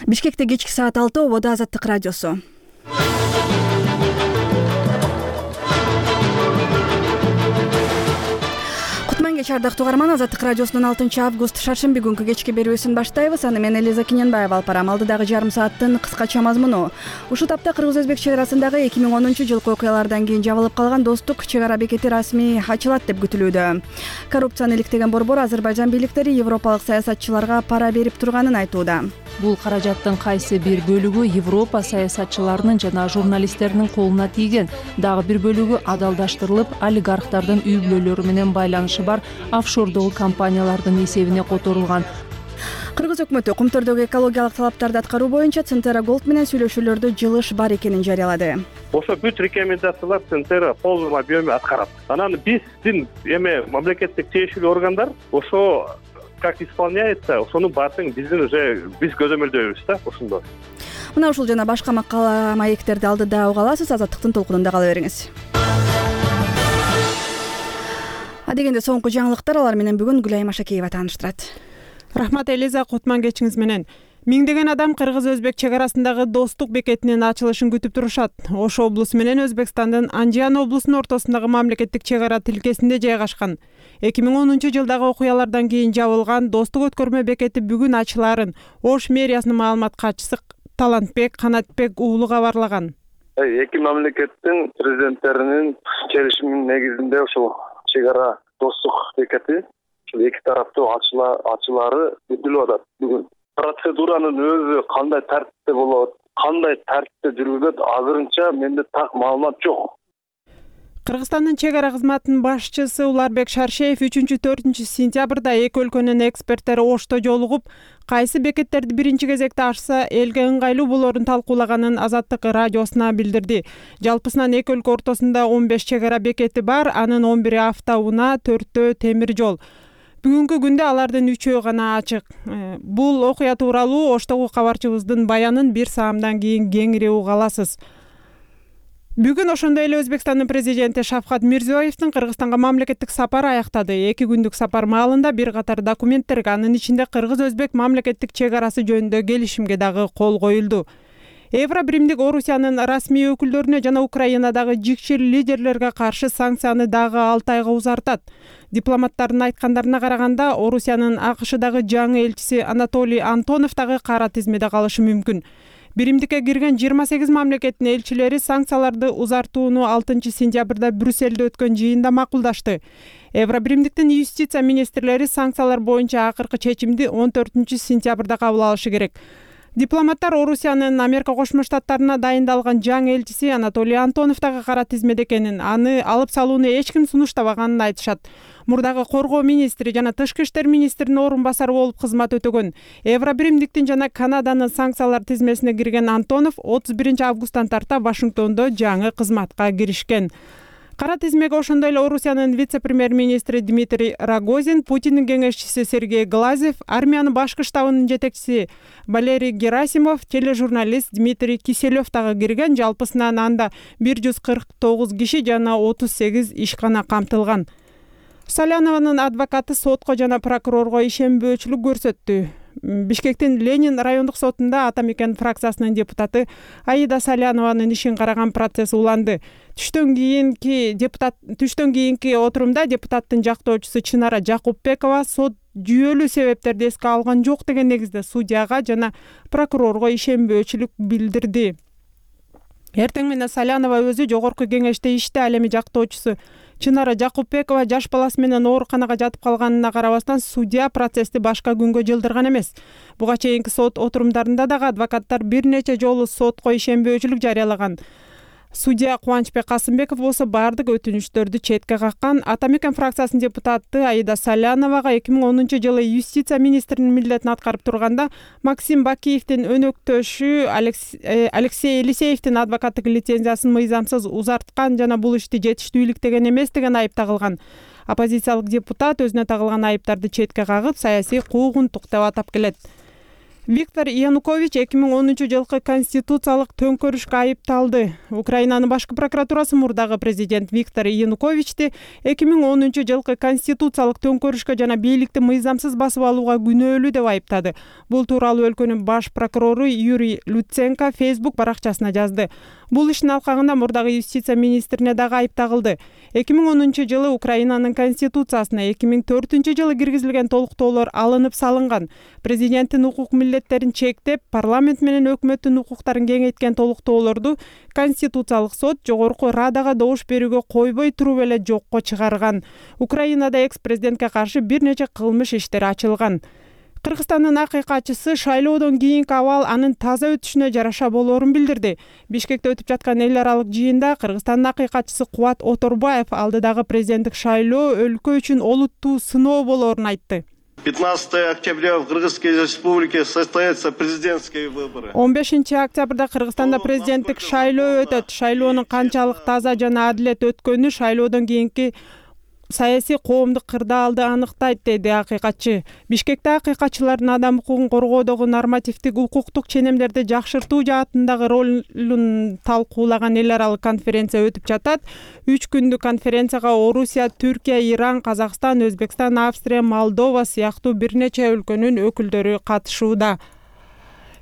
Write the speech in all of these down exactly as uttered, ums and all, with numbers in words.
Бишкекте кечки саат алты ободо Азаттык радиосу. Кутман кеч ардактуу угарман, Азаттык радиосунун алтынчы август шаршемби күнкү кечки берүүсүн баштайбыз. Аны мен Элиза Киненбаева алып барам. Алдыдагы жарым сааттын кыскача мазмуну. Ушул тапта Кыргыз-Өзбек чек арасындагы эки миң онунчу жылкы окуялардан кийин жабылып калган достук чек ара бекети расмий ачылат деп күтүлүүдө. Коррупцияны иликтеген борбор Азербайжан бийликтери европалык саясатчыларга пара берип турганын айтууда. Бул каражаттын кайсы бир бөлүгү Европа саясатчыларынын жана журналисттердин колуна тийген, дагы бир бөлүгү адалдаштырылып, олигархтардын үй бүлөлөрү менен байланышы бар офшордогу компаниялардын эсебине которулган. Кыргыз өкмөтү Кумтөрдөгү экологиялык талаптарды аткаруу боюнча Центера Голд менен сүйлөшүүлөрдө жылыш бар экенин жарыялады. Ошо бүт рекомендациялар Центера в полном объеме аткарат. Анан биздин эме мамлекеттик тиешелүү органдар ошо как исполняется, ошонун баарын биздин уже биз көзөмөлдөйбүз да ошондо. Мына ушул жана башка макала маектерди алдыда уга аласыз. Азаттыктын толкунунда кала бериңиз. Адегенде соңку жаңылыктар, алар менен бүгүн Гүлайым Ашакеева тааныштырат. Рахмат Элиза, кутман кечиңиз менен. Миңдеген адам Кыргыз-Өзбек чек арасындагы достук бекетинин ачылышын күтүп турушат. Ош облусу менен Өзбекстандын Анжиан облусунун ортосундагы мамлекеттик чек ара тилкесинде жайгашкан. эки миң онунчу жылдагы окуялардан кийин жабылган достук өткөрмө бекети бүгүн ачылаарын Ош мэриясынын маалымат катчысы Талантбек Канатбек уулу кабарлаган. Эки мамлекеттин президенттеринин келишиминин негизинде ушул чек ара достук бекети ушул эки тараптуу ачылаары күтүлүп атат бүгүн. Процедуранын өзү кандай тартипте болот, кандай тартипте жүргүзүлөт, азырынча менде так маалымат жок. Кыргызстандын чек ара кызматынын башчысы Уларбек Шаршеев үчүнчү төртүнчү сентябрда эки өлкөнүн эксперттери Ошто жолугуп, кайсы бекеттерди биринчи кезекте ачса элге ыңгайлуу болорун талкуулаганын Азаттык радиосуна билдирди. Жалпысынан эки өлкө ортосунда он беш чек ара бекети бар, анын он бири автоунаа, төртөө темир жол. Бүгүнкү күндө алардын үчөө гана ачык. Бул окуя тууралуу Оштогу кабарчыбыздын баянын бир саамдан кийин кеңири уга аласыз. Бүгүн ошондой эле Өзбекстандын президенти Шавкат Мирзиёевдин Кыргызстанга мамлекеттик сапары аяктады. Эки күндүк сапар маалында бир катар документтерге, анын ичинде Кыргыз-Өзбек мамлекеттик чек арасы жөнүндө келишимге дагы кол коюлду. Евробиримдик Орусиянын расмий өкүлдөрүнө жана Украинадагы жикчил лидерлерге каршы санкцияны дагы алты айга узартат. Дипломаттардын айткандарына караганда, Орусиянын АКШдагы жаңы элчиси Анатолий Антонов дагы кара тизмеде калышы мүмкүн. Биримдикке кирген жыйырма сегиз мамлекеттин элчилери санкцияларды узартууну алтынчы сентябрда Брюссельде өткөн жыйында макулдашты. Евробиримдиктин юстиция министрлери санкциялар боюнча акыркы чечимди он төртүнчү сентябрда кабыл алышы керек. Дипломаттар Орусиянын Америка Кошмо Штаттарына дайындалган жаңы элчиси Анатолий Антонов дагы кара тизмеде экенин, аны алып салууну эч ким сунуштабаганын айтышат. Мурдагы коргоо министри жана тышкы иштер министринин орун басары болуп кызмат өтөгөн. Евробиримдиктин жана Канаданын санкциялар тизмесине кирген Антонов отуз биринчи августтан тарта Вашингтондо жаңы кызматка киришкен. Кара тизмеге ошондой эле Орусиянын вице-премьер-министри Дмитрий Рогозин, Путиндин кеңешчиси Сергей Глазьев, армиянын башкы штабынын жетекчиси Валерий Герасимов, тележурналист Дмитрий Киселев дагы кирген. Жалпысынан анда бир жүз кырк тогуз киши жана отуз сегиз ишкана камтылган. Салянованын адвокаты сотко жана прокурорго ишенбөөчүлүк көрсөттү. Бишкектин Ленин райондук сотунда Атамекен фракциясынын депутаты Аида Салянованын ишин караган процесс уланды. Түштөн кийинки депутат түштөн кийинки отурумда депутаттын жактоочусу Чынара Жакупбекова сот жүйөлүү себептерди эске алган жок деген негизде судьяга жана прокурорго ишенбөөчүлүк билдирди. Эртең менен Салянова өзү жогорку кеңеште иште, ал эми жактоочусу Чынара Жакупбекова жаш баласы менен ооруканага жатып калганына карабастан судья процессти башка күнгө жылдырган эмес. Буга чейинки сот отурумдарында дагы адвокаттар бир нече жолу сотко ишенбөөчүлүк жарыялаган. Судья Кубанычбек Касымбеков болсо бардык өтүнүчтөрдү четке каккан. Атамекен фракциясынын депутаты Аида Саляновага эки миң онунчу жылы юстиция министринин милдетин аткарып турганда Максим Бакиевдин өнөктөшү Алексей Елисеевдин адвокаттык лицензиясын мыйзамсыз узарткан жана бул ишти жетиштүү иликтеген эмес деген айып тагылган. Оппозициялык депутат өзүнө тагылган айыптарды четке кагып, саясий куугунтук деп атап келет. Виктор Янукович эки миң онунчу жылкы конституциялык төңкөрүшкө айыпталды. Украинанын башкы прокуратурасы мурдагы президент Виктор Януковичти эки миң онунчу жылкы конституциялык төңкөрүшкө жана бийликти мыйзамсыз басып алууга күнөөлүү деп айыптады. Бул тууралуу өлкөнүн баш прокурору Юрий Луценко Facebook баракчасына жазды. Бул иштин алкагында мурдагы юстиция министрине дагы айып тагылды. эки миң онунчу жылы Украинанын конституциясына эки миң төртүнчү жылы киргизилген толуктоолор алынып салынган. Президенттин укук милдеттерин чектеп, парламент менен өкмөттүн укуктарын кеңейткен толуктоолорду Конституциялык сот жогорку Радага добуш берүүгө койбой туруп эле жокко чыгарган. Украинада экс-президентке каршы бир нече кылмыш иштери ачылган. Кыргызстандын акыйкатчысы шайлоодон кийинки абал анын таза өтүшүнө жараша болоорун билдирди. Бишкекте өтүп жаткан эл аралык жыйында Кыргызстандын акыйкатчысы Кубат Оторбаев алдыдагы президенттик шайлоо өлкө үчүн олуттуу сыноо болоорун айтты. пятнадцатого октября в Кыргызской республике состоятся президентские выборы. он бешинчи октябрда Кыргызстанда президенттик шайлоо өтөт. Шайлоонун канчалык таза жана адилет өткөнү шайлоодон кийинки саясий коомдук кырдаалды аныктайт, деди акыйкатчы. Бишкекте акыйкатчылардын адам укугун коргоодогу нормативдик укуктук ченемдерди жакшыртуу жаатындагы ролун талкуулаган эл аралык конференция өтүп жатат. Үч күндүк конференцияга Орусия, Түркия, Иран, Казакстан, Өзбекстан, Австрия, Молдова сыяктуу бир нече өлкөнүн өкүлдөрү катышууда.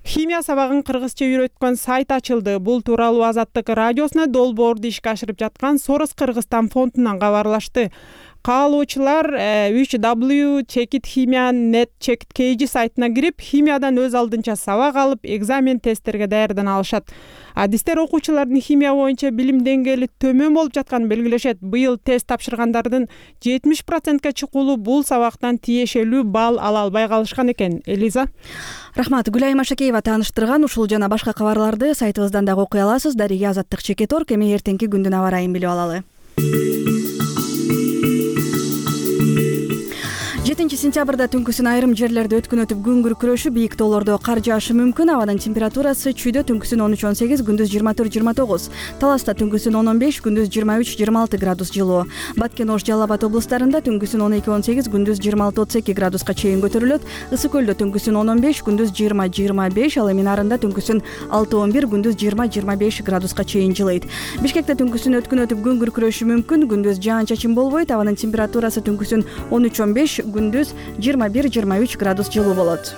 Химия сабагын кыргызча үйрөткөн сайт ачылды. Бул тууралуу Азаттык радиосуна долбоорду ишке ашырып жаткан Сорос Кыргызстан фондунан кабарлашты. Каалоочулар үч дабл ю чекит химия нет чекит кей жи сайтына кирип, химиядан өз алдынча сабак алып, экзамен тесттерге даярдана алышат. Адистер окуучулардын химия боюнча билим деңгээли төмөн болуп жатканын белгилешет. Быйыл тест тапшыргандардын жетимиш процентке чукулу бул сабактан тиешелүү балл ала албай калышкан экен. Элиза. Рахмат. Гүлай Машакеева тааныштырган. Ушул жана башка кабарларды сайтыбыздан дагы окуй аласыз. Дария Азаттык чекит точка орг. Эми эртеңки күндүн аба ырайын билип алалы. жетинчи сентябрда түнкүсүн айрым жерлерде өткүнөтүп күн күркүрөшү, бийик тоолордо кар жаашы мүмкүн. Абанын температурасы чүйдө түнкүсүн он үч он сегиз, күндүз жыйырма төрт жыйырма тогуз. Таласта түнкүсүн он он беш, күндүз жыйырма үч жыйырма алты градус жылуу. Баткен, Ош, Жалал Абад облустарында түнкүсүн он эки он сегиз, күндүз жыйырма алты отуз эки градуска чейин көтөрүлөт. Ысык көлдө түнкүсүн он он беш, күндүз жыйырма жыйырма беш, ал эми Нарында түнкүсүн алты он бир, күндүз жыйырма жыйырма беш градуска чейин жылыйт. Бишкекте түнкүсүн өткүнөтүп күн күркүрөшү мүмкүн. Күндүз жаан-чачын болбойт. Абанын температурасы түнкүсүн он үч он беш, күндүз жыйырма бир жыйырма үч градус жылуу болот.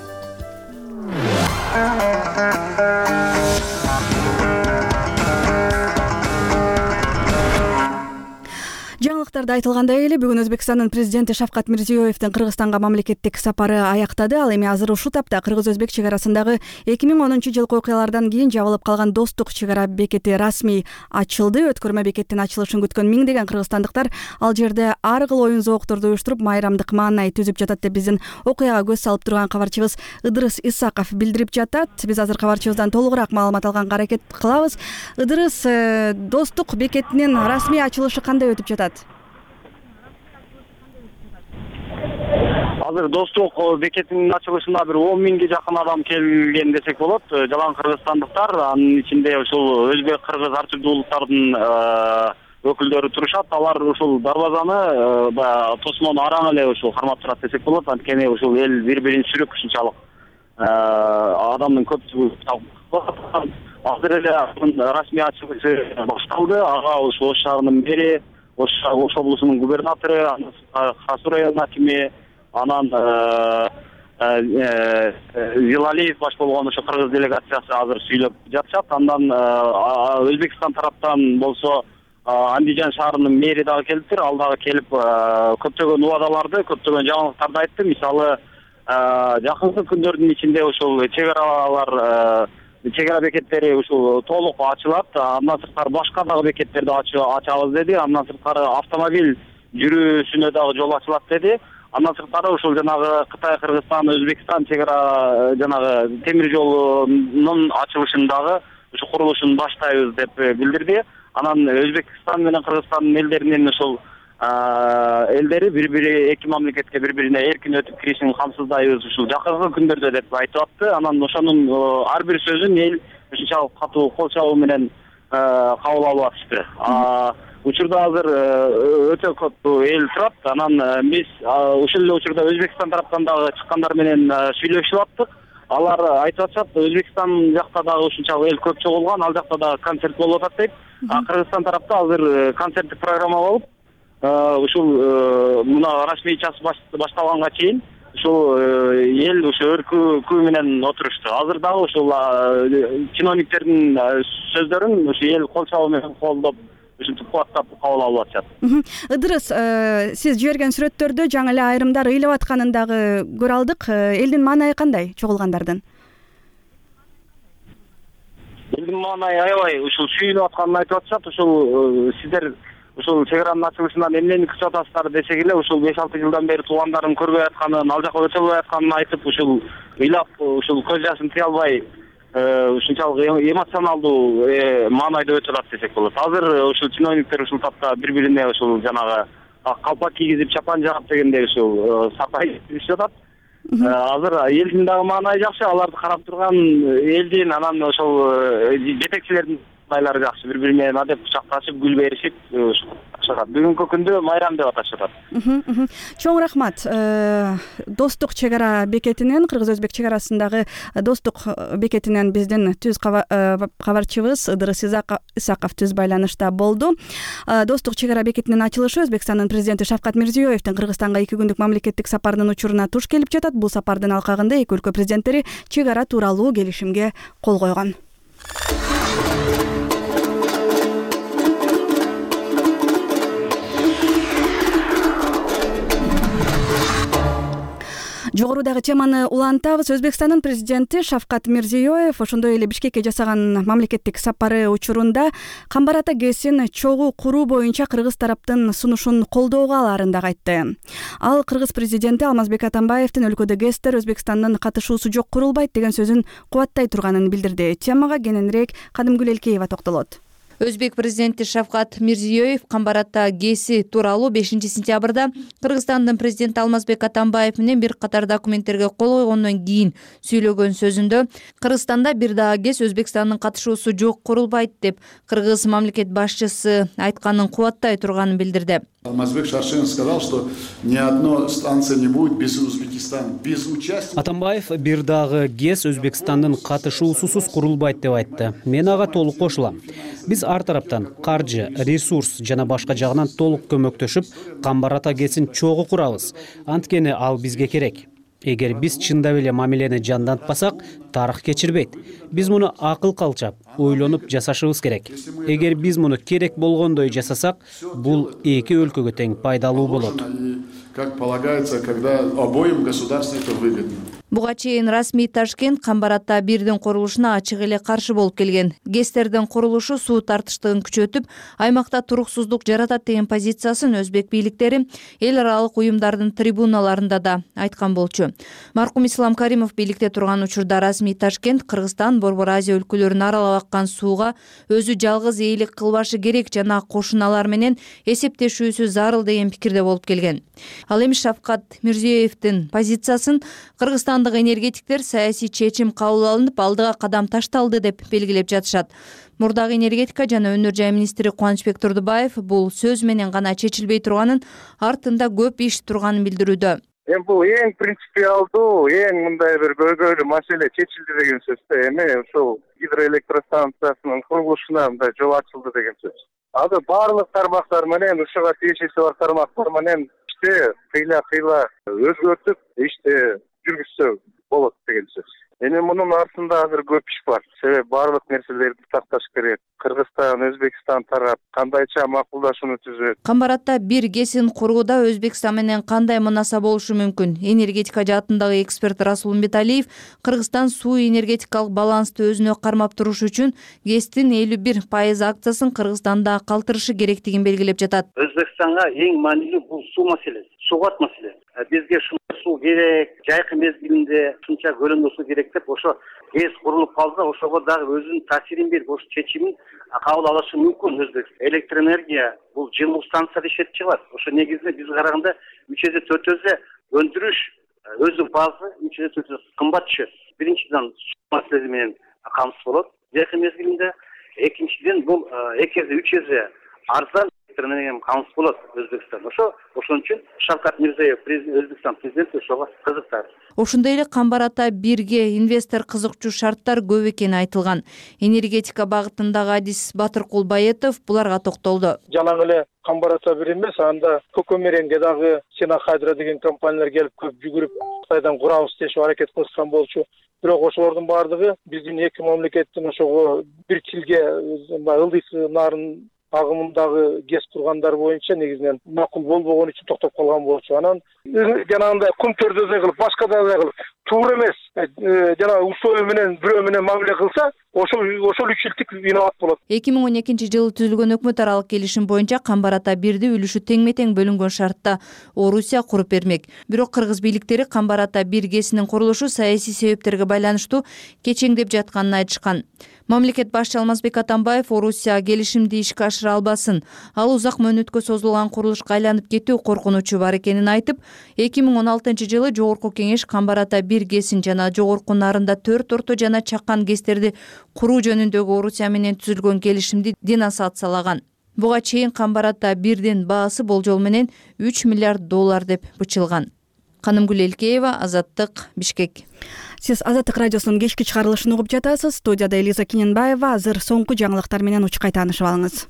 Жаңылыктарда айтылгандай эле бүгүн Өзбекстандын президенти Шавкат Мирзиёевдин Кыргызстанга мамлекеттик сапары аяктады. Ал эми азыр ушул тапта кыргыз-өзбек чек арасындагы эки миң онунчу жылкы окуялардан кийин жабылып калган достук чек ара бекети расмий ачылды. Өткөрмө бекеттин ачылышын күткөн миңдеген кыргызстандыктар ал жерде ар кыл оюн зоокторду уюштуруп, майрамдык маанай түзүп жатат деп биздин окуяга көз салып турган кабарчыбыз Ыдырыс Исаков билдирип жатат. Биз азыр кабарчыбыздан толугураак маалымат алганга аракет кылабыз. Ыдырыс, достук бекетинин расмий ачылышы кандай өтүп жатат? Азыр достук бекетинин ачылышына бир он миңге жакын адам келген десек болот. Жалаң кыргызстандыктар, анын ичинде ушул өзбек, кыргыз ар түрдүү улуттардын өкүлдөрү турушат. Алар ушул дарбазаны тосмону араң эле ушул кармап турат десек болот. Анткени ушул эл бири-бирин сүрүп ушунчалык адамдын көпчүлүгү. Азыр эле расмий ачылышы башталды. Ага ушул Ош шаарынын мэри, Ош облусунун губернатору, Хасур районунун акими, анан Зилалиев баш болгон ошо кыргыз делегациясы азыр сүйлөп жатышат. Андан Өзбекстан тараптан болсо Андижан шаарынын мэри дагы келиптир. Ал дагы келип көптөгөн убадаларды, көптөгөн жаңылыктарды айтты. Мисалы, жакынкы күндөрдүн ичинде ушул чек аралар, чек ара бекеттери ушул толук ачылат. Андан сырткары башка дагы бекеттерди ачабыз деди. Андан сырткары автомобиль жүрүүсүнө дагы жол ачылат деди. Андан сырткары ушул жанагы Кытай, Кыргызстан, Өзбекстан чек ара жанагы темир жолунун ачылышын дагы ушу курулушун баштайбыз деп билдирди. Анан Өзбекстан менен Кыргызстандын элдеринин ушул элдери бири-бири эки мамлекетке бири-бирине эркин өтүп киришин камсыздайбыз ушул жакынкы күндөрдө деп айтып атты. Анан ошонун ар бир сөзүн эл ушунчалык катуу кол чабуу менен кабыл алып атышты. Учурда азыр өтө көп эл турат. Анан биз ушул эле учурда Өзбекстан тараптан дагы чыккандар менен сүйлөшүп аттык. алар айтып атышат, Өзбекстан жакта дагы ушунчалык эл көп чогулган, ал жакта дагы концерт болуп атат дейт. А Кыргызстан тарапта азыр концерттик программа болуп, ушул мына расмий час башталганга чейин ушул эл ошо өркүү менен отурушту. Азыр дагы ушул чиновниктердин сөздөрүн ошо эл кол чабуу менен колдоп, ушинтип кубаттап кабыл алып атышат. Ыдырыс, сиз жиберген сүрөттөрдө жаңы эле айрымдар ыйлап атканын дагы көрө алдык. Элдин маанайы кандай чогулгандардын? Элдин маанайы аябай ушул сүйүнүп атканын айтып атышат. Ушул сиздер ушул чек аранын ачылышынан эмнени күтүп атасыздар десек эле, ушул беш алты жылдан бери туугандарын көрбөй атканын, ал жака өтө албай атканын айтып, ушул ыйлап, ушул көз жашын тыя албай ушунчалык эмоционалдуу маанайда өтүп атат десек болот. Азыр ушул чиновниктер ушул тапта бири-бирине ушул жанагы калпак кийгизип, чапан жаап дегендей ушул сапай ишип атат. Азыр элдин дагы маанайы жакшы, аларды карап турган элдин, анан ошол жетекчилердин маанайлары жакшы. Бири-бири менен адеп кучакташып, гүл беришип атышат. Бүгүнкү күндө майрам деп аташат. Чоң рахмат. Достук чек ара бекетинен, Кыргыз-Өзбек чек арасындагы достук бекетинен биздин түз кабарчыбыз Ыдырыс Исаков түз байланышта болду. Достук чек ара бекетинин ачылышы Өзбекстандын президенти Шавкат Мирзиёевдин Кыргызстанга эки күндүк мамлекеттик сапарынын учуруна туш келип жатат. Бул сапардын алкагында эки өлкө президенттери чек ара тууралуу келишимге кол койгон. Жогорудагы теманы улантабыз. Өзбекстандын президенти Шавкат Мирзиёев ошондой эле Бишкекке жасаган мамлекеттик сапары учурунда Камбар-Ата ГЭСин чогуу куруу боюнча кыргыз тараптын сунушун колдоого аларын дагы айтты. Ал кыргыз президенти Алмазбек Атамбаевдин өлкөдө ГЭСтер Өзбекстандын катышуусу жок курулбайт деген сөзүн кубаттай турганын билдирди. Темага кененирээк Кадымгүл Элкеева токтолот. Өзбек президенти Шавкат Мирзиёев Камбар-Ата ГЭСи тууралуу бешинчи сентябрда Кыргызстандын президенти Алмазбек Атамбаев менен бир катар документтерге кол койгондон кийин сөйлөгөн сөзүндө Кыргызстанда бир дагы ГЭС Өзбекстандын катышуусу жок курулбайт деп кыргыз мамлекет башчысы айтканын кубаттай турганын билдирди. Алмазбек Шаршен сказал, что ни одной станции не будет без Узбекистана, без участия. Атамбаев бир дагы ГЭС Өзбекстандын катышуусусуз курулбайт деп айтты. Мен ага толук кошулам. Биз ар тараптан каржы, ресурс жана башка жагынан толук көмөктөшүп, Камбар-Ата ГЭСин чогуу курабыз. Анткени ал бизге керек. Эгер биз чындап эле мамилени жандантпасак, тарых кечирбейт. Биз муну акыл калчап, ойлонуп жасашыбыз керек. Эгер биз муну керек болгондой жасасак, бул эки өлкөгө тең пайдалуу болот. Как полагается, когда обоим государствам это выгодно. Буга чейин расмий Ташкент Камбар-Ата бирдин курулушуна ачык эле каршы болуп келген. ГЭСтердин курулушу суу тартыштыгын күчөтүп, аймакта туруксуздук жаратат деген позициясын өзбек бийликтери эл аралык уюмдардын трибуналарында да айткан болчу. Маркум Ислам Каримов бийликте турган учурда расмий Ташкент Кыргызстан, Борбор Азия өлкөлөрүн аралап аккан сууга өзү жалгыз ээлик кылбашы керек жана кошуналар менен эсептешүүсү зарыл деген пикирде болуп келген. Ал эми Шавкат Мирзиёевдин позициясын Кыргызстан энергетиктер саясий чечим кабыл алынып, алдыга кадам ташталды деп белгилеп жатышат. Мурдагы энергетика жана өнөр жай министри Кубанычбек Турдубаев бул сөз менен гана чечилбей турганын, артында көп иш турганын билдирүүдө. Эми бул эң принципиалдуу, эң мындай бир көйгөйлүү маселе чечилди деген сөз. Эми ушул гидроэлектростанциясынын курулушуна мындай жол ачылды деген сөз. Азыр баардык тармактар менен, ушуга тиешеси бар тармактар менен иште кыйла-кыйла өзгөртүп, иште жүргүзсө болот деген сөз. Эми мунун артында азыр көп иш бар. Себеби баардык нерселерди такташ керек. Кыргызстан, Өзбекстан тарап кандайча макулдашууну түзөт. Камбар-Ата бир ГЭСин курууда Өзбекстан менен кандай мунаса болушу мүмкүн? Энергетика жаатындагы эксперт Расул Мбеталиев Кыргызстан суу энергетикалык балансты өзүнө кармап туруш үчүн ГЭСтин элүү бир пайыз акциясын Кыргызстанда калтырышы керектигин белгилеп жатат. Өзбекстанга эң маанилүү бул суу маселеси, сугат маселеси. Бизге суу керек, жайкы мезгилинде ушунча көлөмдө суу керек деп ошо ГЭС курулуп калса, ошого дагы өзүнүн таасирин берип, ошо чечимин кабыл алышы мүмкүн. Өзбекстан электроэнергия бул жылуу станцияда иштетип чыгат. Ошо негизинде биз караганда үч эсе төрт эсе өндүрүш өзү базы үч эсе төрт эсе кымбат түшөт. Биринчиден маселеси менен камсыз болот жайкы мезгилинде, экинчиден бул эки эсе үч эсе арзан менен камсыз болот Өзбекстан. Ошо ошон үчүн Шавкат Мирзиёев, Өзбекстан президенти ошого кызыктар. Ошондой эле Камбар ата бирге инвестор кызыкчу шарттар көп экени айтылган. Энергетика багытындагы адис Батыр Кулбаетов буларга токтолду. Жалаң эле Камбар ата бир эмес, анда Көкөмеренге дагы Сена Хайдра деген компаниялар келип көп жүгүрүп Кытайдан курабыз дешип аракет кылышкан болчу. Бирок ошолордун баардыгы биздин эки мамлекеттин ошого бир тилге ылдый нарын агымындагы гез кургандар боюнча негизинен макул болбогон үчүн токтоп калган болчу. Анан жанагындай кум төрдөзөй кылып, башка дагы кылып туура эмес жанагы условия менен бирөө менен мамиле кылса, ошол ошол үчүлтүк виноват болот. эки миң он экинчи жылы түзүлгөн өкмөт аралык келишим боюнча Камбар ата бирди үлүшү теңме тең бөлүнгөн шартта Орусия куруп бермек. Бирок кыргыз бийликтери Камбар ата бир гесинин курулушу саясий себептерге байланыштуу кечеңдеп жатканын айтышкан. Мамлекет башчы Алмазбек Атамбаев Орусия келишимди ишке ашыра албасын, ал узак мөөнөткө созулган курулушка айланып кетүү коркунучу бар экенин айтып, эки миң он алтынчы жылы Жогорку Кеңеш Камбар ата бир гесин жана жогорку нарында төрт орто жана чакан гестерди куруу жөнүндөгү Орусия менен түзүлгөн келишимди денонсациялаган. Буга чейин Камбар ата бирдин баасы болжол менен үч миллиард доллар деп бычылган. Канымгүл Элкеева, Азаттык, Бишкек. Сиз Азаттык радиосунун кечки чыгарылышын угуп жатасыз. Студияда Элиза Кененбаева. Азыр соңку жаңылыктар менен учкай таанышып алыңыз.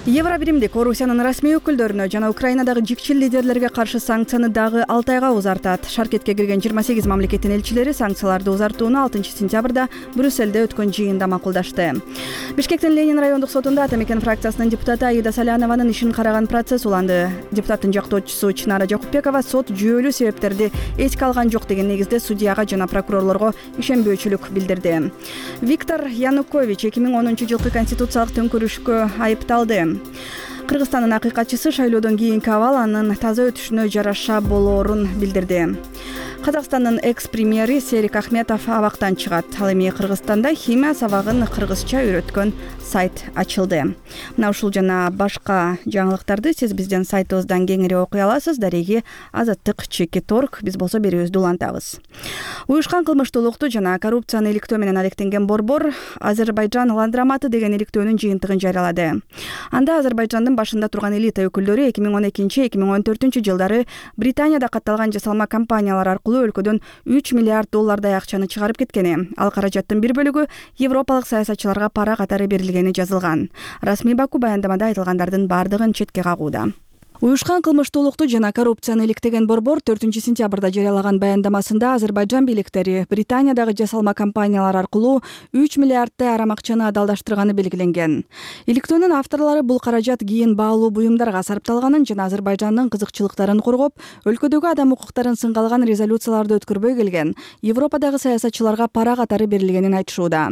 Евробиримдик Орусиянын расмий өкүлдөрүнө жана Украинадагы жикчил лидерлерге каршы санкцияны дагы алты айга узартат. Шаркетке кирген жыйырма сегиз мамлекеттин элчилери санкцияларды узартууну алтынчы сентябрда Брюссельде өткөн жыйында макулдашты. Бишкектин Ленин райондук сотунда Ата Мекен фракциясынын депутаты Аида Салянованын ишин караган процесс уланды. Депутаттын жактоочусу Чынара Жакупбекова сот жүйөлүү себептерди эске алган жок деген негизде судьяга жана прокурорлорго ишенбөөчүлүк билдирди. Виктор Янукович эки миң онунчу жылкы конституциялык төңкөрүшкө айыпталды. Кыргызстандын акыйкатчысы шайлоодон кийинки абал анын таза өтүшүнө жараша болоорун билдирди. Казакстандын экс-премьери Серик Ахметов абактан чыгат. Ал эми Кыргызстанда химия сабагын кыргызча үйрөткөн сайт ачылды. Мына ушул жана башка жаңылыктарды сиз биздин сайтыбыздан кеңири окуй аласыз. Дареги Азаттык чекит орг. Биз болсо берүүбүздү улантабыз. Уюшкан кылмыштуулукту жана коррупцияны иликтөө менен алектенген борбор Азербайджан ландраматы деген иликтөөнүн жыйынтыгын жарыялады. Анда Азербайджандын башында турган элита өкүлдөрү эки миң он экинчи эки миң он төртүнчү жылдары Британияда катталган жасалма компаниялар аркылуу өлкөдөн үч миллиард доллардай акчаны чыгарып кеткени. Ал каражаттын бир бөлүгү европалык саясатчыларга пара катары берилгени жазылган. Расмий Баку баяндамада айтылгандардын бардыгын четке кагууда. Уюшкан кылмыштуулукту жана коррупцияны иликтеген борбор төртүнчү сентябрда жарыялаган баяндамасында Азербайджан бийликтери Британиядагы жасалма компаниялар аркылуу үч миллиарддай арам акчаны адалдаштырганы белгиленген. Иликтөөнүн авторлору бул каражат кийин баалуу буюмдарга сарпталганын жана Азербайжандын кызыкчылыктарын коргоп, өлкөдөгү адам укуктарын сынга алган резолюцияларды өткөрбөй келген Европадагы саясатчыларга пара катары берилгенин айтышууда.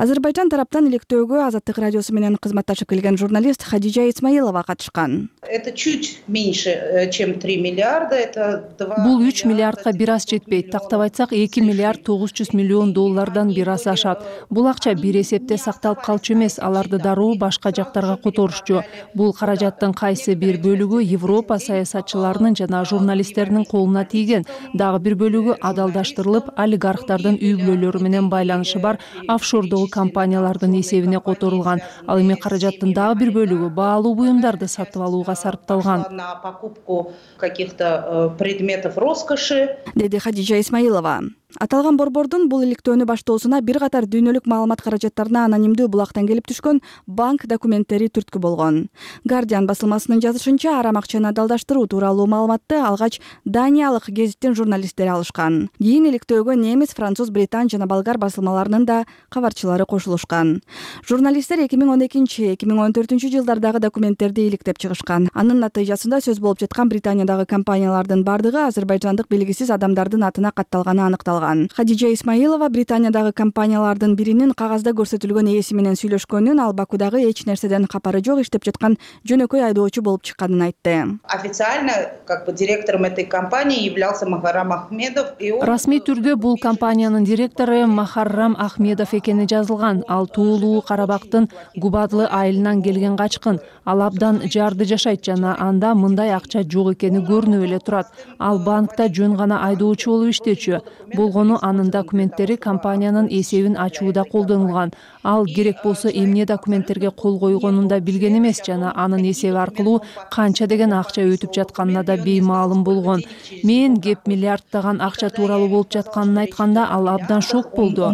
Азербайджан тараптан иликтөөгө Азаттык радиосу менен кызматташып келген журналист Хадижа Исмаилова катышкан. Это чуть меньше, чем три миллиарда, это два. Бул үч миллиардка бир аз жетпейт. Тактап айтсак, эки миллиард тогуз жүз миллион доллардан бир аз ашат. Бул акча бир эсепте сакталып калчу эмес, аларды дароо башка жактарга которушчу. Бул каражаттын кайсы бир бөлүгү Европа саясатчыларынын жана журналисттердин колуна тийген, дагы бир бөлүгү адалдаштырылып, олигархтардын үй бүлөлөрү менен байланышы бар офшордогу компаниялардын эсебине которулган. Ал эми каражаттын дагы бир бөлүгү баалуу буюмдарды сатып алууга сарпталган. На покупку каких-то предметов роскоши, деди Хадижа Исмаилова. Аталган борбордун бул иликтөөнү баштоосуна бир катар дүйнөлүк маалымат каражаттарына анонимдүү булактан келип түшкөн банк документтери түрткү болгон. Guardian басылмасынын жазышынча, арам акчаны адалдаштыруу тууралуу маалыматты алгач Даниялык гезиттин журналисттери алышкан. Кийин иликтөөгө немис, француз, британ жана болгар басылмаларынын да кабарчылары кошулушкан. Журналисттер эки миң он экинчи эки миң он төртүнчү жылдардагы документтерди иликтеп чыгышкан. Анын натыйжасында сөз болуп жаткан Британиядагы компаниялардын бардыгы азербайжандык белгисиз адамдардын атына катталганы аныкталган. Хадижа Исмаилова Британиядагы компаниялардын биринин кагазда көрсөтүлгөн ээси менен сүйлөшкөнүн, ал Бакудагы эч нерседен капары жок иштеп жаткан жөнөкөй айдоочу болуп чыкканын айтты. Официально, как бы, директором этой компании являлся Махаррам Ахмедов. Расмий түрдө бул компаниянын директору Махаррам Ахмедов экени жазылган. Ал туулуу Карабактын Губадлы айылынан келген качкын. Ал абдан жарды жашайт жана анда мындай акча жок экени көрүнүп эле турат. Ал банкта жөн гана айдоочу болуп иштечү. Бул болгону анын документтери компаниянын эсебин ачууда колдонулган. Ал керек болсо эмне документтерге кол койгонун да билген эмес жана анын эсеби аркылуу канча деген акча өтүп жатканына да беймаалым болгон. Мен кеп миллиарддаган акча тууралуу болуп жатканын айтканда ал абдан шок болду.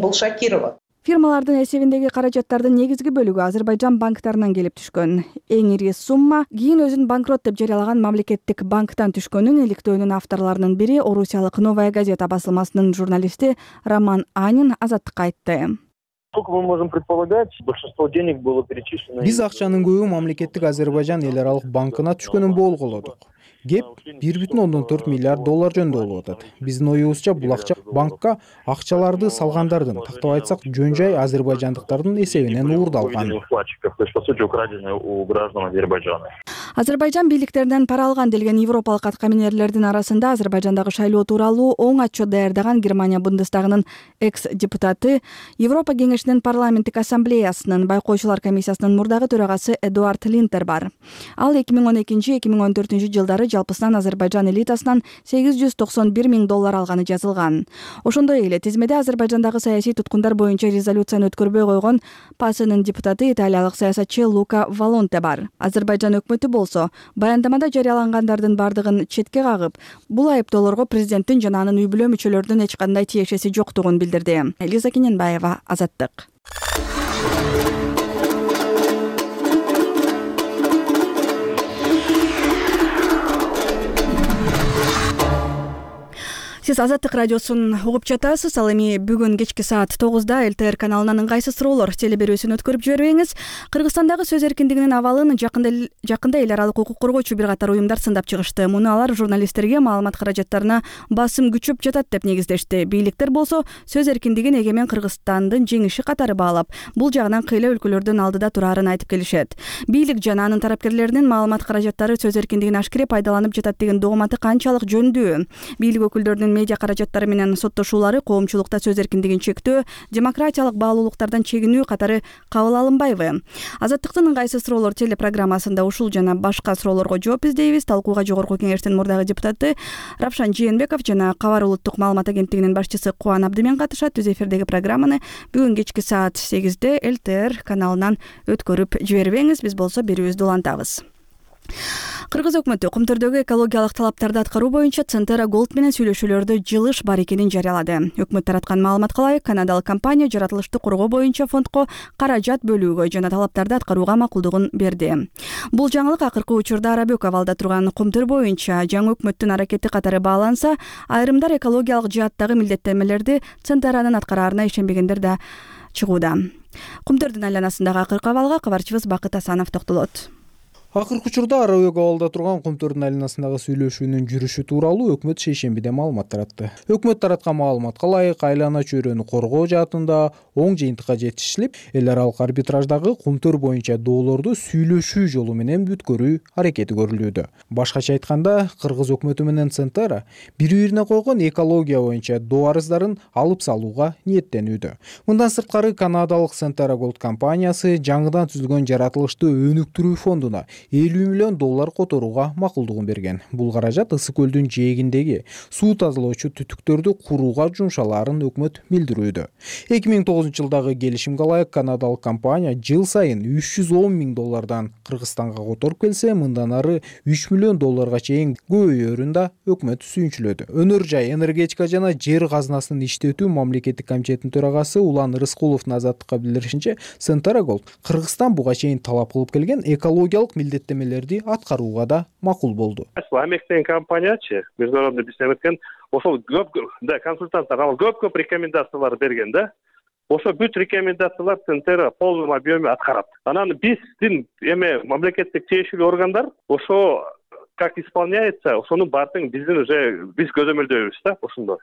Фирмалардын эсебиндеги каражаттардын негизги бөлүгү Азербайжан банктарынан келип түшкөн. Эң ири сумма кийин өзүн банкрот деп жарыялаган мамлекеттик банктан түшкөнүн иликтөөнүн авторлорунун бири орусиялык «Новая газета» басылмасынын журналисти Роман Анин Азаттыкка айтты. Биз акчанын көбү мамлекеттик Азербайжан эл аралык банкына түшкөнүн болгоолодук. Кеп бир бүтүн ондон төрт миллиард доллар жөнүндө болуп атат. Биздин оюбузча бул акча банкка акчаларды салгандардын, тактап айтсак, жөн жай азербайжандыктардын эсебинен уурдалган. Азербайжан бийликтеринен пара алган делген европалык аткаминерлердин арасында Азербайжандагы шайлоо тууралуу оң отчет даярдаган Германия Бундестагынын экс-депутаты, Европа кеңешинин парламенттик ассамблеясынын байкоочулар комиссиясынын мурдагы төрагасы Эдуард Линтер бар. Ал эки миң он экинчи эки миң он төртүнчү жылдары жалпысынан Азербайжан элитасынан сегиз жүз токсон бир миң доллар алганы жазылган. Ошондой эле тизмеде Азербайжандагы саясий туткундар боюнча резолюцияны өткөрбөй койгон ПАСынын депутаты италиялык саясатчы Лука Валонте бар. Азербайжан өкмөтү болсо баяндамада жарыялангандардын бардыгын четке кагып, бул айыптоолорго президенттин жана анын үй бүлө мүчөлөрүнүн эч кандай тиешеси жоктугун билдирди. Элиза Кененбаева, Азаттык. Сиз Азаттык радиосун угуп жатасыз. Ал эми бүгүн кечки саат тогузда эл тэ эр каналынын ыңгайсыз суроолор телеберүүсүн өткөрүп жибербеңиз. Кыргызстандагы сөз эркиндигинин абалын жакында жакында эл аралык укук коргоочу бир катар уюмдар сындап чыгышты. Муну алар журналисттерге маалымат каражаттарына басым күчөп жатат деп негиздешти. Бийликтер болсо сөз эркиндигин эгемен Кыргызстандын жеңиши катары баалап, бул жагынан кыйла өлкөлөрдүн алдыда турарын айтып келишет. Бийлик жана анын тарапкерлеринин маалымат каражаттары сөз эркиндигин ашкере пайдаланып жатат деген догматы канчалык жөндүү? Бийлик өкүлдөрүнүн медиа каражаттары менен соттошуулары коомчулукта сөз эркиндигин чектөө, демократиялык баалуулуктардан чегинүү катары кабыл алынбайбы? Азаттыктын ыңгайсыз суроолор телепрограммасында ушул жана башка суроолорго жооп издейбиз. Талкууга Жогорку кеңештин мурдагы депутаты Равшан Жээнбеков жана Кабар улуттук маалымат агенттигинин башчысы Кубан Абдымен катышат. Түз эфирдеги программаны бүгүн кечки саат сегизде эл тэ эр каналынан өткөрүп жибербеңиз. Биз болсо берүүбүздү улантабыз. Кыргыз өкмөтү Кумтөрдөгү экологиялык талаптарды аткаруу боюнча Центера Голд менен сүйлөшүүлөрдө жылыш бар экенин жарыялады. Өкмөт тараткан маалыматка ылайык, канадалык компания жаратылышты коргоо боюнча фондко каражат бөлүүгө жана талаптарды аткарууга макулдугун берди. Бул жаңылык акыркы учурда Арабөк абалда турган Кумтөр боюнча жаңы өкмөттүн аракети катары бааланса, айрымдар экологиялык жааттагы милдеттенмелерди Центеранын аткараарына ишенбегендер да чыгууда. Кумтөрдүн айланасындагы акыркы абалга кабарчыбыз Бакыт Асанов токтолот. Акыркы учурда Арабөк абалда турган Кумтөрдүн айланасындагы сүйлөшүүнүн жүрүшү тууралуу өкмөт шейшембиде маалымат таратты. Өкмөт тараткан маалыматка ылайык, айлана чөйрөнү коргоо жаатында оң жыйынтыкка жетишилип, эл аралык арбитраждагы Кумтөр боюнча доолорду сүйлөшүү жолу менен бүткөрүү аракети көрүлүүдө. Башкача айтканда, Кыргыз өкмөтү менен Центера бири-бирине койгон экология боюнча доо арыздарын алып салууга ниеттенүүдө. Мындан сырткары канадалык Центера Голд компаниясы жаңыдан түзүлгөн жаратылышты өнүктүрүү фондуна элүү миллион доллар которууга макулдугун берген. Бул каражат Ысык көлдүн жээгиндеги суу тазалоочу түтүктөрдү курууга жумшалаарын өкмөт билдирүүдө. эки миң тогузунчу жылдагы келишимге ылайык канадалык компания жыл сайын үч жүз он миң доллардан Кыргызстанга которуп келсе, мындан ары үч миллион долларга чейин көбөйөрүн да өкмөт сүйүнчүлөдү. Өнөр жай, энергетика жана жер казынасын иштетүү мамлекеттик комитетинин төрагасы Улан Рыскуловдун Азаттыкка билдиришинче, Центера Голд Кыргызстан буга чейин талап кылып келген экологиялык милдеттенмелерди аткарууга да макул болду. Америкадагы компаниячы международный бизнес эткен, ошол көп да консультанттар ал көп-көп рекомендациялар берген да. Ошо бүт рекомендациялар Центера полный объеме аткарат. Анан биздин эме мамлекеттик тиешелүү органдар ошо как исполняется, ошонун баардыгын биздин уже биз көзөмөлдөйбүз да ошондо.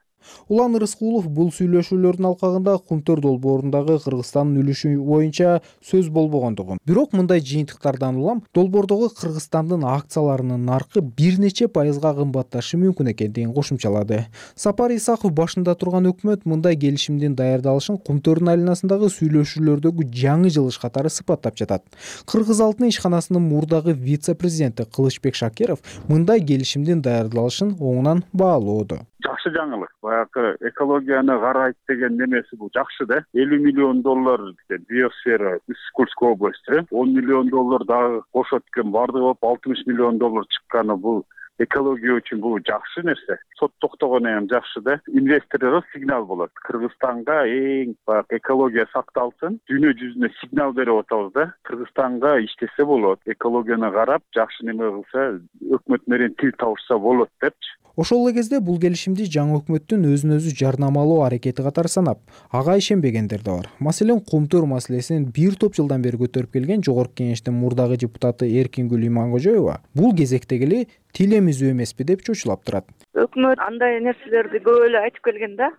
Улан Рыскулов бул сүйлөшүүлөрдүн алкагында Кумтөр долбоорундагы Кыргызстандын үлүшү боюнча сөз болбогондугун, бирок мындай жыйынтыктардан улам долбоордогу Кыргызстандын акцияларынын наркы бир нече пайызга кымбатташы мүмкүн экендигин кошумчалады. Сапар Исаков башында турган өкмөт мындай келишимдин даярдалышын Кумтөрдүн айланасындагы сүйлөшүүлөрдөгү жаңы жылыш катары сыпаттап жатат. Кыргыз алтын ишканасынын мурдагы вице-президенти Кылычбек Шакиров мындай келишимдин даярдалышын оңунан баалоодо. Жакшы жакшы жаңылык. Баягы экологияны карайт деген немеси бул жакшы да. элүү миллион доллар биосфера Курской области, он миллион доллар дагы кошот экен, бардыгы болуп алтымыш миллион доллар чыкканы бул экология үчүн бул жакшы нерсе. Сот токтогону эми жакшы да. Инвесторлорго сигнал болот. Кыргызстанга эң баягы экология сакталсын, дүйнө жүзүнө сигнал берип атабыз да. Кыргызстанга иштесе болот. Экологияны карап, жакшы неме кылса, өкмөт менен тил табышса болот депчи. Ошол эле кезде бул келишимди жаңы өкмөттүн өзүн өзү жарнамалоо аракети катары санап, ага ишенбегендер да бар. Маселен, Кумтөр маселесин бир топ жылдан бери көтөрүп келген Жогорку Кеңештин мурдагы депутаты Эркингүл Иманкожоева бул кезектеги эле тил эмизүү эмеспи деп чочулап турат. Өкмөт андай нерселерди көп эле айтып келген да.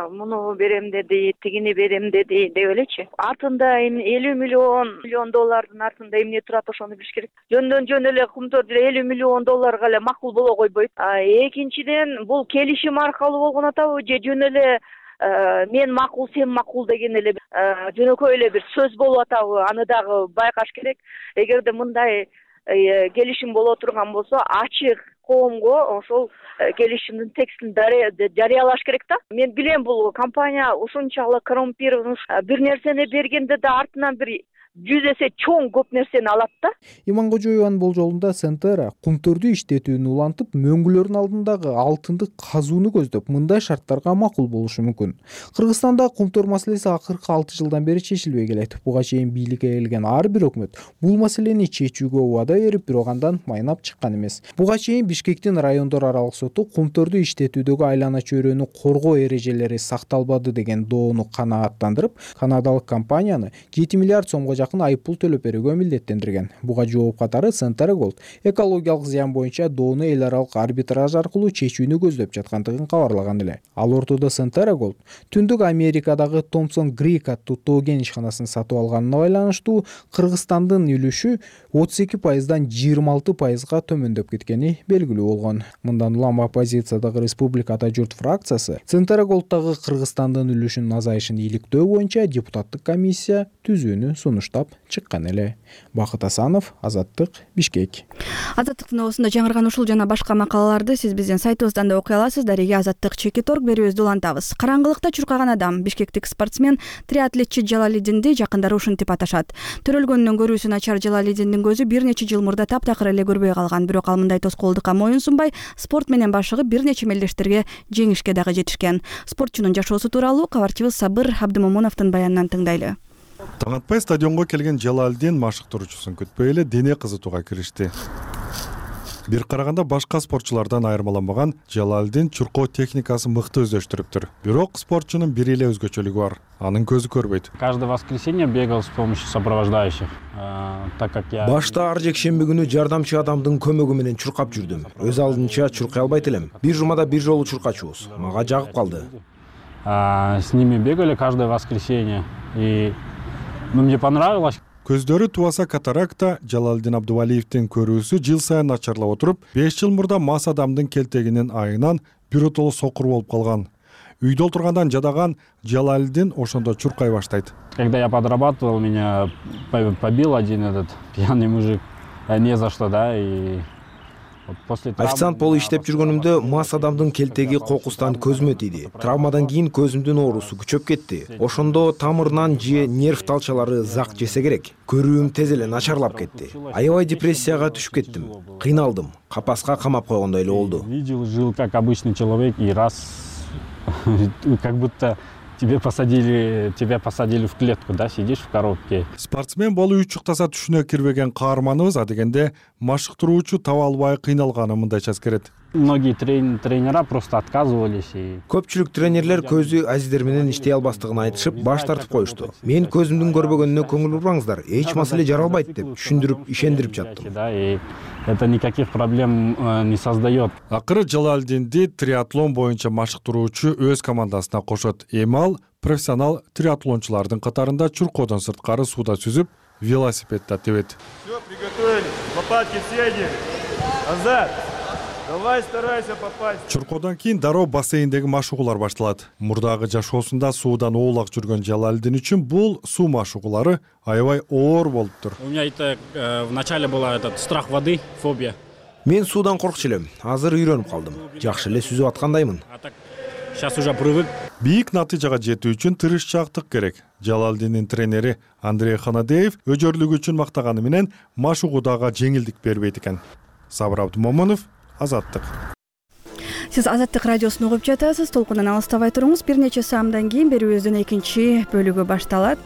Муну берем деди, тигини берем деди деп элечи. Артында элүү миллион миллион доллардын артында эмне турат, ошону билиш керек. Жөндөн жөн эле Кумтөр деле элүү миллион долларга эле макул боло койбойт. Экинчиден, бул келишим аркылуу болгон атабы же жөн эле мен макул, сен макул деген эле жөнөкөй эле бир сөз болуп атабы, аны дагы байкаш керек. Эгерде мындай келишим боло турган болсо, ачык коомго ошол келишимдин текстин жарыялаш керек да. Мен билем, бул компания ушунчалык коррумпирован, бир нерсени бергенде да артынан бир жүз эсе чоң көп нерсени алат да. Иманкожоеванын болжолунда Сентера Кумтөрдү иштетүүнү улантып, мөңгүлөрдүн алдындагы алтынды казууну көздөп, мындай шарттарга макул болушу мүмкүн. Кыргызстанда Кумтөр маселеси акыркы алты жылдан бери чечилбей келет. Буга чейин бийликке келген ар бир өкмөт бул маселени чечүүгө убада берип, бирок андан майнап чыккан эмес. Буга чейин Бишкектин райондор аралык соту Кумтөрдү иштетүүдөгү айлана чөйрөнү коргоо эрежелери сакталбады деген доону канааттандырып, канадалык компанияны жети миллиард сомго жакын айыппул төлөп берүүгө милдеттендирген. Буга жооп катары Сентера Голд экологиялык зыян боюнча доону эл аралык арбитраж аркылуу чечүүнү көздөп жаткандыгын кабарлаган эле. Ал ортодо Сентера Голд Түндүк Америкадагы Томпсон Грик аттуу тоо кен ишканасын сатып алганына байланыштуу Кыргызстандын үлүшү отуз эки пайыздан жыйырма алты пайызга төмөндөп кеткени белгилүү болгон. Мындан улам оппозициядагы Республикада журт фракциясы Сентера Голдтагы Кыргызстандын үлүшүнүн азайышын иликтөө боюнча депутаттык комиссия түзүүнү сунуштап чыккан эле. Бакыт Асанов, Азаттык, Бишкек. Азаттыктын оосунда жаңырган ушул жана башка макалаларды сиз биздин сайтыбыздан да окуй аласыз. Дареге Азаттык чекит орг берүүбүздү улантабыз. Караңгылыкта чуркаган адам бишкектик спортсмен триатлетчи Жалалидинди жакындары ушинтип аташат. Төрөлгөнүнөн көрүүсү начар Жалалидиндин көзү бир нече жыл мурда таптакыр эле көрбөй калган. Бирок ал мындай тоскоолдукка моюн сунбай, спорт менен башыгып бир нече мелдештерге жеңишке дагы жетишкен. Спортчунун жашоосу тууралуу кабарчыбыз Сабыр Абдымомуновдун баянынан тыңдайлы. Таң атпай стадионго келген Жалалидин машыктыруучусун күтпөй эле дене кызытууга киришти. Бир караганда башка спортчулардан айырмаланбаган Жалалидин чуркоо техникасын мыкты өздөштүрүптүр. Бирок спортчунун бир эле өзгөчөлүгү бар. Анын көзү көрбөйт. Каждое воскресенье бегал с помощью сопровождающих, так как я Башта ар жекшемби күнү жардамчы адамдын көмөгү менен чуркап жүрдүм. Өз алдынча чуркай албайт элем. Бир жумада бир жолу чуркачубуз. Мага жагып калды. С ними бегали каждое воскресенье, и мне понравилось. Көздөрү тубаса катаракта, Жалалидин Абдувалиевдин көрүүсү жыл сайын начарлап отуруп, беш жыл мурда мас адамдын келтегинин айынан биротоло сокур болуп калган. Үйдө отургандан жадаган Жалалидин ошондо чуркай баштайт. Когда я подрабатывал, меня побил один этот пьяный мужик, не за что, да, и официант болуп иштеп жүргөнүмдө мас адамдын келтеги кокустан көзүмө тийди. Травмадан кийин көзүмдүн оорусу күчөп кетти. Ошондо тамырынан же нерв талчалары зак жесе керек. Көрүүм тез эле начарлап кетти. Аябай депрессияга түшүп кеттим. Кыйналдым. Капаска камап койгондой эле болду. Видел, жил как обычный человек, и раз как будто Тебе посадили, тебя посадили в клетку, да, сидишь в коробке. Спортсмен болуу учуктаса түшүнө кирбеген каарманыбыз адегенде машыктыруучу таба албай кыйналганы мындайча эскерет. Многие трен, тренера просто отказывались. И... Көпчүлүк тренерлер көзү азиздер менен иштей албастыгын айтышып, баш тартып коюшту. Мен көзүмдүн көрбөгөнүнө көңүл бурбаңыздар, эч маселе жаралбайт деп түшүндүрүп, ишендирип жаттым. Да, и это никаких проблем не создает. Акыры Жалалидинди триатлон боюнча машыктыруучу өз командасына кошот. Эми ал профессионал триатлончулардын катарында чуркоодон сырткары сууда сүзүп, велосипедде тебет. Все, приготовились. Лопатки все одели. Назад. Давай старайся попасть. Чуркоодон кийин дароо бассейндеги машыгуулар башталат. Мурдагы жашоосунда суудан оолак жүргөн Жалалидин үчүн бул суу машыгуулары аябай оор болуптур. У меня это в начале была этот страх воды, фобия. Мен суудан коркчу элем. Азыр үйрөнүп калдым. Жакшы эле сүзүп аткандаймын. Сейчас уже привык. Бийик натыйжага жетүү үчүн тырышчаактык керек. Жалалдиндин тренери Андрей Ханадеев өжөрлүгү үчүн мактаганы менен машыгуудага жеңилдик бербейт экен. Сабыр Абдумомунов, Азаттык. Сиз Азаттык радиосун угуп жатасыз. Толкундан алыстабай туруңуз. Бир нече саамдан кийин берүүбүздүн экинчи бөлүгү башталат.